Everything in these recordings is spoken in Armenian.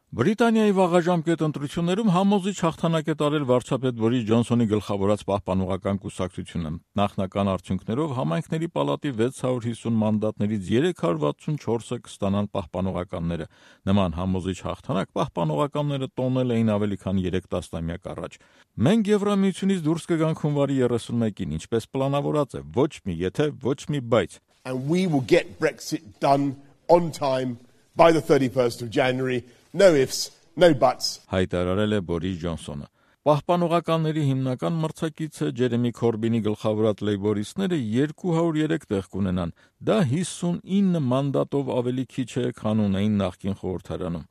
Բրիտանիայի վաղաժամկետ ընտրություններում համոզիչ հաղթանակ է տարել վարչապետ Բորիս Ջոնսոնի գլխավորած պահպանողական կուսակցությունը։ Նախնական արդյունքներով համայնքների պալատի 650 մանդատներից 364-ը կստանան պահպանողականները։ Նման համոզիչ հաղթանակ պահպանողականները տոնել էին ավելի քան 3 տասնամյակ առաջ։ Մենք Եվրամիությունից դուրս կգանք հունվարի 31-ին, ինչպես պլանավորած է, ոչ մի եթե, ոչ մի բայց։ And we will get Brexit done on time by the 31st of January. No ifs, no buts. Հայտարարել է Բորիս Ջոնսոնը։ Պահպանողականների հիմնական մրցակիցը Ջերեմի Քորբինի գլխավորած լեյբորիստները 203 տեղ կունենան։ Դա 59 մանդատով ավելի քիչ է, քան ունեին նախկին խորհրդարանում։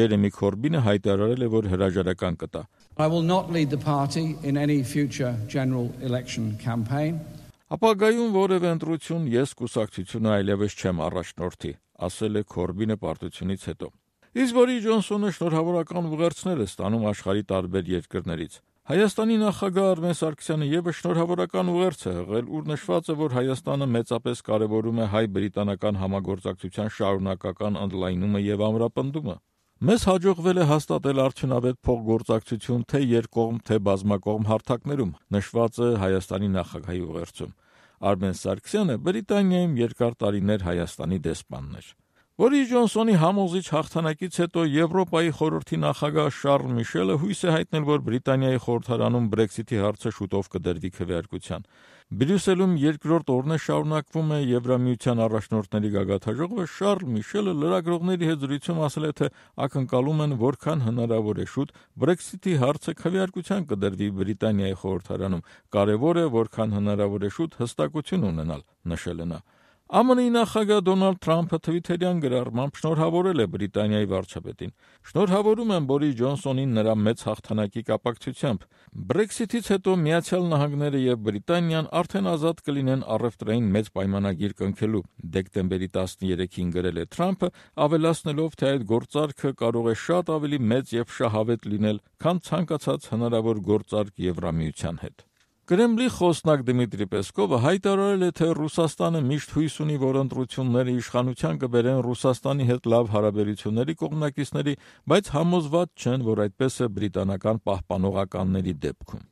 Ջերեմի Քորբինը հայտարարել է, որ հրաժարական կտա։ I will not lead the party in any future general election campaign. Ապագայում որևէ ընտրություն ես կուսակցությունը այլևս չեմ առաջնորդի, ասել է Քորբինը պարտությունից հետո։ Իսկ Բորիս Ջոնսոնը շնորհավորական ուղերձներ է ստանում աշխարհի տարբեր երկրներից։ Հայաստանի նախագահ Արմեն Սարգսյանը ևս շնորհավորական ուղերձ է հղել, ուր նշված է, որ Հայաստանը մեծապես կարևորում է հայ-բրիտանական համագործակցության շարունակական ընդլայնումը եւ ամրապնդումը։ Մեզ հաջողվել է հաստատել արդյունավետ փոխգործակցություն թե երկկողմ, թե բազմակողմ հարթակներում, նշված է Հայաստանի նախագահի ուղերձում։ Արմեն Սարգսյանը Բրիտանիայում երկար տարիներ Հայաստանի դեսպանն էր։ Բորիս Ջոնսոնի համոզիչ հաղթանակից հետո Եվրոպայի խորհրդի նախագահ Շարլ Միշելը հույս է հայտնել, որ Բրիտանիայի խորհրդարանում Brexit-ի հարցը շուտով կդրվի քվեարկության։ Բրյուսելում երկրորդ օրն է շարունակվում է Եվրամիության առաջնորդների գագաթաժողովը, Շարլ Միշելը լրագրողների հետ զրույցում ասել է, թե ակնկալում են, որքան հնարավոր է շուտ Brexit-ի հարցը քվեարկության կդրվի Բրիտանիայի խորհրդարանում։ Կարևոր է, որքան հնարավոր է շուտ հստակություն ունենալ, նշել է նա։ ԱՄՆ-ի նախագահ Դոնալդ Թրամփը թվիթերյան գրառմամբ շնորհավորել է Բրիտանիայի վարչապետին։ Շնորհավորում եմ Բորիս Ջոնսոնին նրա մեծ հաղթանակի կապակցությամբ։ Brexit-ից հետո Միացյալ Նահանգները եւ Բրիտանիան արդեն ազատ կլինեն առևտրային մեծ պայմանագիր կնքելու։ Դեկտեմբերի 13-ին գրել է Թրամփը, ավելացնելով, թե այդ գործարքը կարող է շատ ավելի մեծ եւ շահավետ լինել, քան ցանկացած հնարավոր գործարք Եվրամիության հետ։ Կրեմլի խոսնակ Դմիտրի Պեսկովը հայտարարել է, թե Ռուսաստանը միշտ հույս ունի, որ ընտրությունները իշխանության կբերեն Ռուսաստանի հետ լավ հարաբերությունների կողմնակիցների, բայց համոզված չեն, որ այդպես է բրիտանական պահպանողականների դեպքում։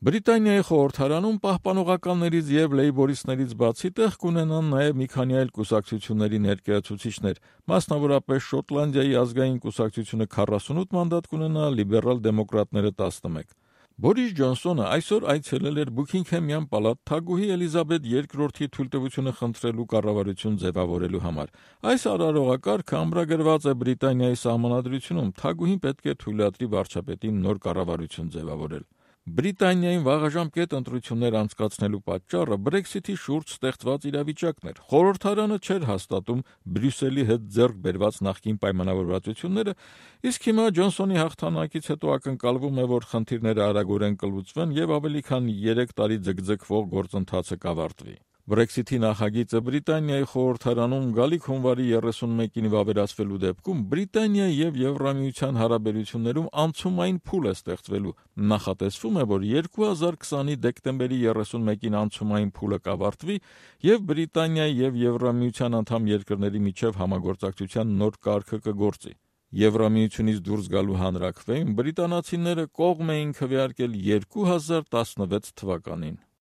Բրիտանիայի խորհրդարանում պահպանողականներից եւ լեյբորիստներից բացի տեղ կունենան նաեւ մի քանի այլ կուսակցությունների ներկայացուցիչներ, մասնավորապես Շոտլանդիայի ազգային կուսակցությունը 48 մանդատ կունենա, լիբերալ դեմոկրատները 11։ Բորիս Ջոնսոնը այսօր այցելել էր Բուքինգհեմյան պալատ թագուհի Էլիզաբեթ II-ի թույլտվությունը խնդրելու կառավարություն ձևավորելու համար։ Այս արարողակարգը ամրագրված է Բրիտանիայի սահմանադրությունում, թագուհին պետք է թույլատրի վարչապետին նոր կառավարություն ձևավորել։ Բրիտանիայում վաղաժամկետ ընտրություններ անցկացնելու պատճառը Brexit-ի շուրջ ստեղծված իրավիճակն էր։ Խորհրդարանը չէր հաստատում Բրյուսելի հետ ձեռք բերված նախկին պայմանավորվածությունները, իսկ հիմա Ջոնսոնի հաղթանակից հետո ակնկալվում է, որ խնդիրները արագորեն կլուծվեն եւ ավելի քան 3 տարի ձգձգվող գործընթացը կավարտվի։ Brexit-ի նախագիծը Բրիտանիայի խորհրդարանում գալիք հունվարի 31-ին վավերացվելու դեպքում Բրիտանիայի եւ Եվրամիության հարաբերություններում անցումային փուլ է ստեղծվելու։ Նախատեսվում է, որ 2020-ի դեկտեմբերի 31-ին անցումային փուլը կավարտվի եւ Բրիտանիայի եւ Եվրամիության անդամ երկրների միջև համագործակցության նոր կարգը կգործի։ Եվրամիությունից դուրս գալու հանրաքվեին բրիտանացիները կողմ էին քվեարկել 2016 թվականին։